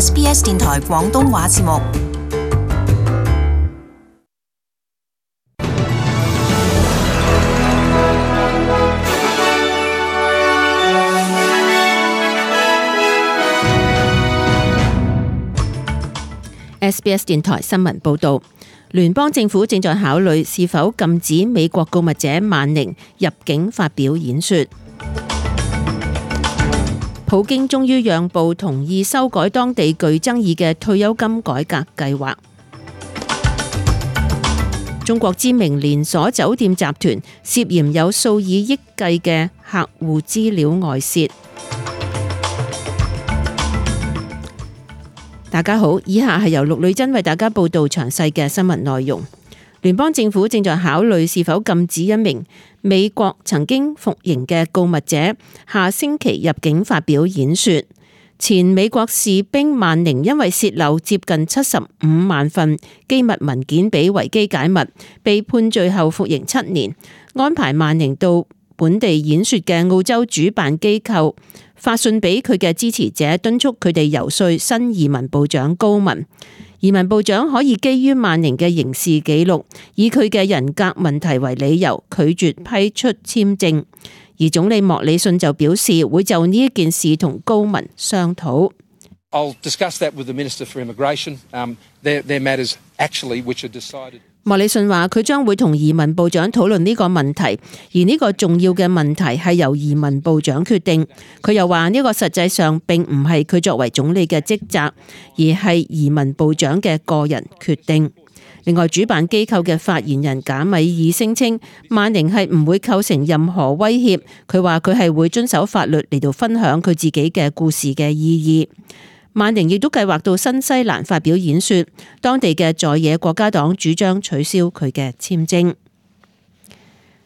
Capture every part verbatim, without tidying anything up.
S B S 電台廣東話節目。S B S 電台新聞報道，聯邦政府正在考慮是否禁止美國告密者萬寧入境發表演說。普京終於讓步，同意修改當地具爭議嘅退休金改革計劃。中國知名連鎖酒店集團涉嫌有數以億計嘅客戶資料外泄。大家好，以下係由陸女真為大家報道詳細嘅新聞內容。聯邦政府正在考慮是否禁止一名美國曾經服刑嘅告密者下星期入境發表演說。前美國士兵萬寧因為洩漏接近七十五萬份機密文件俾維基解密，被判罪後服刑七年。安排萬寧到本地演說嘅澳洲主辦機構發信俾佢嘅支持者，敦促佢哋游說新移民部長高文。移民部長可以基於萬寧嘅刑事記錄，以佢嘅人格問題為理由拒絕批出簽證。而總理莫里遜就表示會就呢一件事同高文商討。I'll discuss that with the Minister for Immigration. Um, they're, they're matters actually which are decided. 莫里遜話佢將會同移民部長討論呢個問題，而呢個重要嘅問題係由移民部長決定。佢又話呢個實際上並唔係佢作為總理嘅職責，而係移民部長嘅個人決定。另外，主辦機構嘅發言人賈米爾聲稱萬寧係唔會構成任何威脅。佢話佢係會遵守法律嚟到分享佢自己嘅故事嘅意義。萬寧亦都計劃到新西蘭發表演說，當地嘅在野國家黨主張取消佢嘅簽證。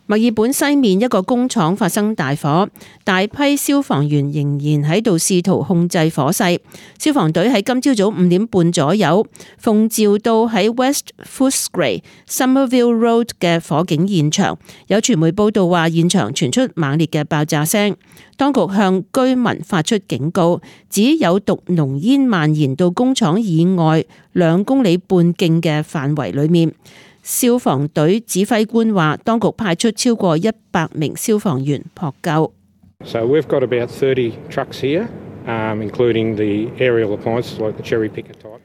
墨爾本西面一個工廠發生大火，大批消防員仍然喺度試圖控制火勢。消防隊喺今朝早五點半左右奉召到喺 West Footscray Somerville Road 嘅火警現場。有傳媒報道話，現場傳出猛烈嘅爆炸聲。當局向居民發出警告，指有毒濃煙蔓延到工廠以外兩公里半徑嘅範圍裏面。消防隊指揮官話，當局派出超過一百名消防員撲救。So we've got about thirty trucks here, um, including the aerial appliances like the cherry picker type.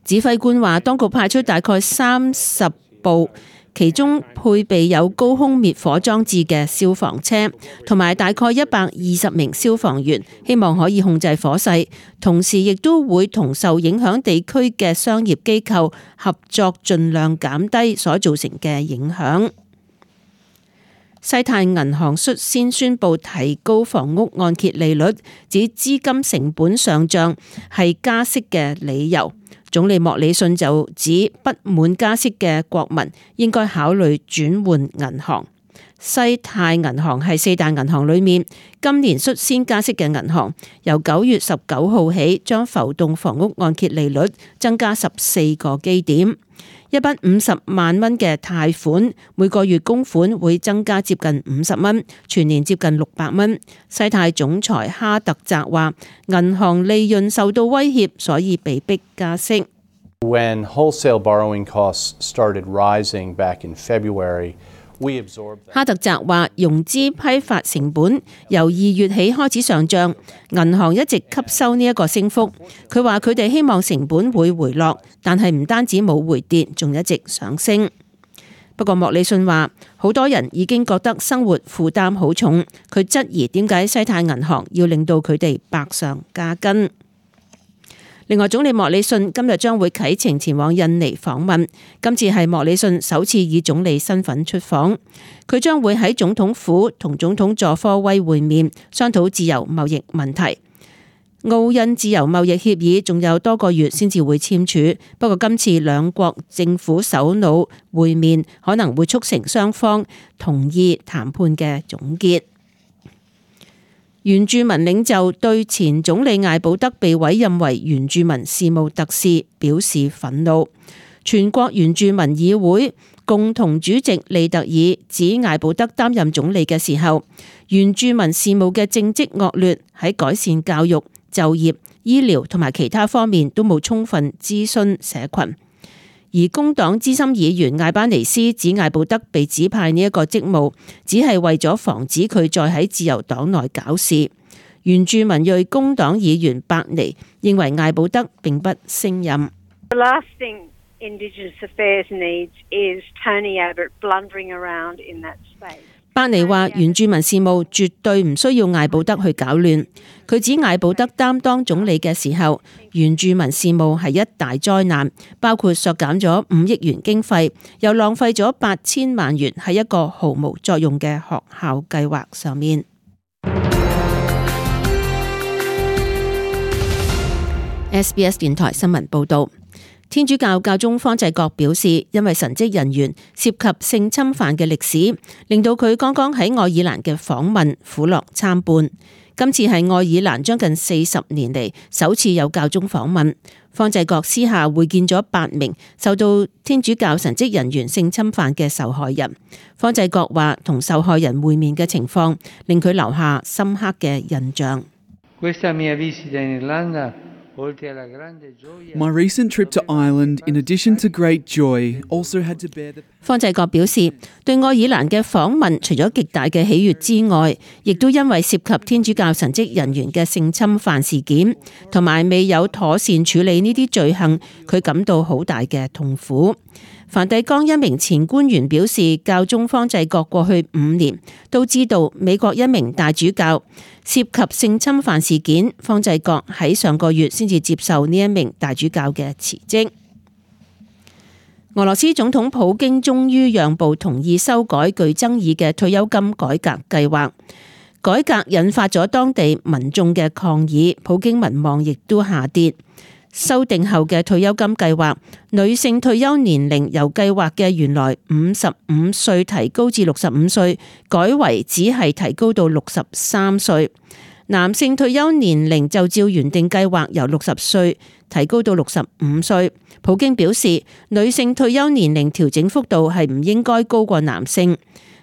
指揮官話，當局派出大概三十部，其中配備有高空滅火裝置嘅消防車，同埋大概一百二十名消防員，希望可以控制火勢。同時亦都會同受影響地區嘅商業機構合作，盡量減低所造成嘅影響。西太銀行率先宣布提高房屋按揭利率，指資金成本上漲係加息嘅理由。總理莫里遜就指不滿加息嘅國民應該考慮轉換銀行。西太銀行係四大銀行裏面今年率先加息嘅銀行，由九月十九號起將浮動房屋按揭利率增加十四個基點。一筆五十萬蚊嘅貸款，每個月供款會增加接近五十蚊，全年接近六百蚊。西太總裁哈特澤話，銀行利潤受到威脅，所以被迫加息。When wholesale borrowing costs started rising back in February, we absorbed that. 哈特澤話，融資批發成本由二月起開始上漲，銀行一直吸收呢一個升幅。佢話佢哋希望成本會回落，但係唔單止冇回跌，仲一直上升。不過莫里遜話，好多人已經覺得生活負擔好重，佢質疑點解西太銀行要令到佢哋百上加斤。另外，總理莫里遜今日將會啟程前往印尼訪問，今次係莫里遜首次以總理身份出訪。佢將會喺總統府同總統佐科威會面，商討自由貿易問題。澳印自由貿易協議仲有多個月先至會簽署，不過今次兩國政府首腦會面可能會促成雙方同意談判嘅總結。原住民領袖對前總理艾保德被委任為原住民事務特使表示憤怒。全國原住民議會共同主席利特爾指艾保德擔任總理嘅時候，原住民事務嘅政績惡劣，喺改善教育、就業、醫療同埋其他方面都冇充分諮詢社群。而工黨資深議員艾班尼斯指艾布德被指派呢一個職務，只係為咗防止佢再喺自由黨內搞事。原住民裔工黨議員伯尼認為艾布德並不勝任。The last thing Indigenous Affairs needs is Tony Abbott blundering around in that space. 伯尼話原住民事務絕對唔需要艾布德去搞亂。佢指艾布德擔當總理嘅時候，原住民事務係一大災難，包括削減咗五億元經費，又浪費咗八千萬元喺一個毫無作用嘅學校計劃上面。S B S 電台新聞報導。天主教教宗方濟各表示，因為神職人員涉及性侵犯嘅歷史，令到佢剛剛喺愛爾蘭嘅訪問苦樂參半。今次係愛爾蘭將近四十年嚟首次有教宗訪問。方濟各私下會見咗八名受到天主教神職人員性侵犯嘅受害人。方濟各話，同受害人會面嘅情況令佢留下深刻嘅印象。My recent trip to Ireland, in addition to great joy, also had to bear the... 方濟各表示，對愛爾蘭嘅訪問除咗極大嘅喜悅之外，亦都因為涉及天主教神職人員嘅性侵犯事件，同埋未有妥善處理呢啲罪行，佢感到好大嘅痛苦。梵蒂岡一名前官員表示，教宗方濟各過去五年都知道美國一名大主教涉及性侵犯事件，方濟各喺上個月先至接受呢一名大主教嘅辭職。俄羅斯總統普京終於讓步，同意修改具爭議嘅退休金改革計劃，改革引發咗當地民眾嘅抗議，普京民望亦都下跌。修訂後嘅退休金計劃，女性退休年齡由計劃嘅原來五十五歲提高至六十五歲，改為只係提高到六十三歲。男性退休年齡就照原定計劃由六十歲提高到六十五歲。普京表示，女性退休年齡調整幅度係唔應該高過男性。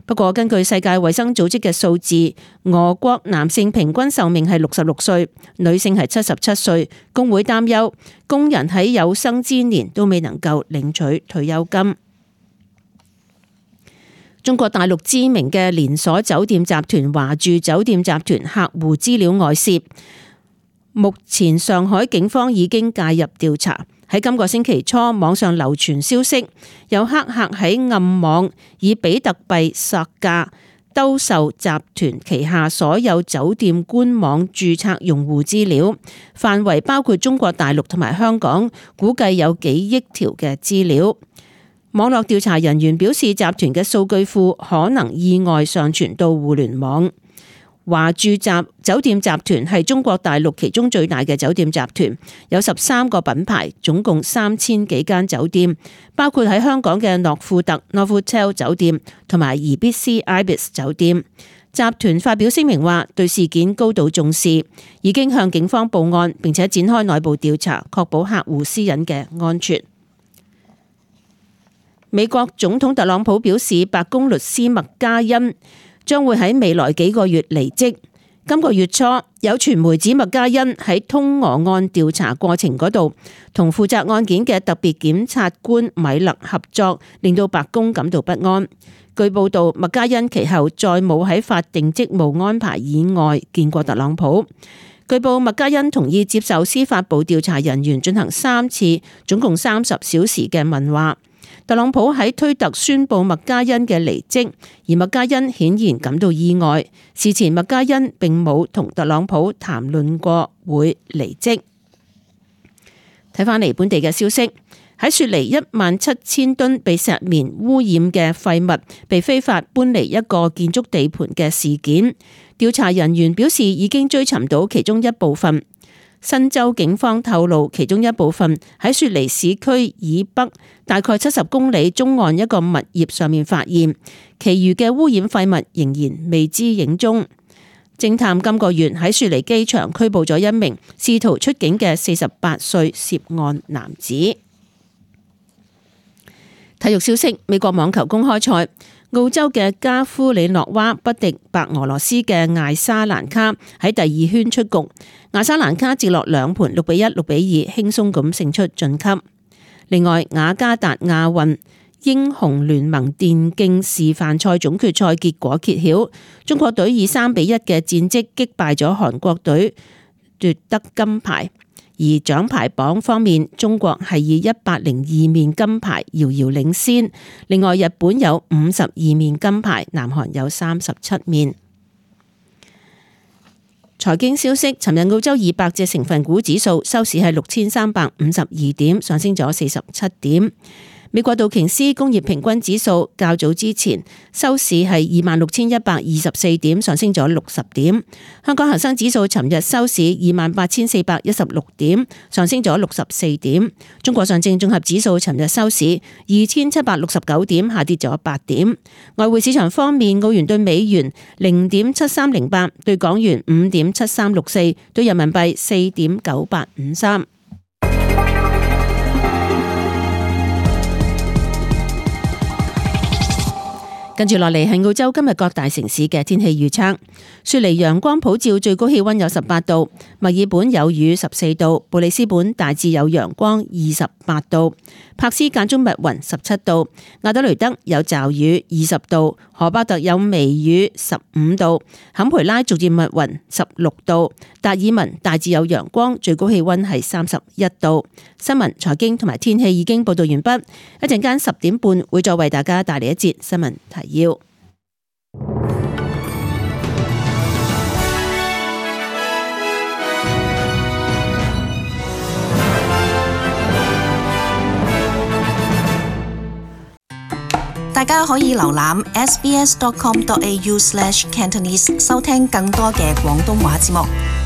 不過根據世界衛生組織嘅數字，俄國男性平均壽命係六十六歲，女性係七十七歲。工會擔憂工人喺有生之年都未能夠領取退休金。中國大陸知名嘅連鎖酒店集團華住酒店集團客戶資料外泄，目前上海警方已經介入調查。喺今個星期初，網上流傳消息，有黑客喺暗網以比特幣索價兜售集團旗下所有酒店官網註冊用戶資料，範圍包括中國大陸同埋香港，估計有幾億條嘅資料。網絡調查人員表示，集團嘅數據庫可能意外上傳到互聯網。華住集酒店集團係中國大陸其中最大嘅酒店集團，有十三個品牌，總共三千幾間酒店，包括喺香港嘅諾富特 Novotel 酒店同埋宜必思 Ibis 酒店。集團發表聲明話，對事件高度重視，已經向警方報案，並且展開內部調查，確保客戶私隱嘅安全。美國總統特朗普表示，白宮律師麥嘉恩將會喺未來幾個月離職。今個月初，有傳媒指麥嘉恩喺通俄案調查過程嗰度，同負責案件嘅特別檢察官米勒合作，令到白宮感到不安。據報道，麥嘉恩其後再冇喺法定職務安排以外見過特朗普。據報，麥嘉恩同意接受司法部調查人員進行三次，總共三十小時嘅問話。特朗普喺推特宣布麥嘉恩嘅離職，而麥嘉恩顯然感到意外。事前麥嘉恩並冇同特朗普談論過會離職。睇返嚟本地嘅消息，喺雪梨一萬七千噸被石棉污染嘅廢物被非法搬離一個建築地盤嘅事件，調查人員表示已經追尋到其中一部分。新州警方透露，其中一部分喺雪梨市區以北大概七十公里中岸一個物業上面發現，其餘嘅污染廢物仍然未知影蹤。偵探今個月喺雪梨機場拘捕咗一名試圖出境嘅四十八歲涉案男子。體育消息，美國網球公開賽，澳洲嘅加夫里諾娃不敵白俄羅斯嘅艾沙蘭卡，喺第二圈出局。艾沙蘭卡接落兩盤六比一、六比二輕鬆咁勝出晉級。另外，雅加達亞運英雄聯盟電競示範賽總決賽結果揭曉，中國隊以三比一嘅戰績擊敗咗韓國隊，奪得金牌。而獎牌榜方面，中國係以一百零二面金牌遙遙領先，另外日本有五十二面金牌，南韓有三十七面。財經消息，尋日澳洲二百隻成分股指數收市係六千三百五十二點，上升咗四十七點。美國道瓊斯工業平均指數較早之前收市係二萬六千一百二十四點，上升咗六十點。香港恒生指數尋日收市二萬八千四百一十六點，上升咗六十四點。中國上證綜合指數尋日收市二千七百六十九點，下跌咗八點。外匯市場方面，澳元對美元零點七三零八，對港元五點七三六四，對人民幣四點九八五三。跟住落嚟係澳洲今日各大城市嘅天氣預測。雪梨陽光普照，最高氣溫有十八度；墨爾本有雨十四度；布里斯本大致有陽光二十八度；柏斯間中密雲十七度；亞德雷德有驟雨二十度；荷巴特有微雨十五度；坎培拉逐漸密雲十六度；達爾文大致有陽光，最高氣溫係三十一度。新聞、財經同埋天氣已經報道完畢，一陣間十點半會再為大家帶嚟一節新聞提要。大家可以瀏覽 s b s dot com dot a u slash cantonese 收聽更多嘅廣東話節目。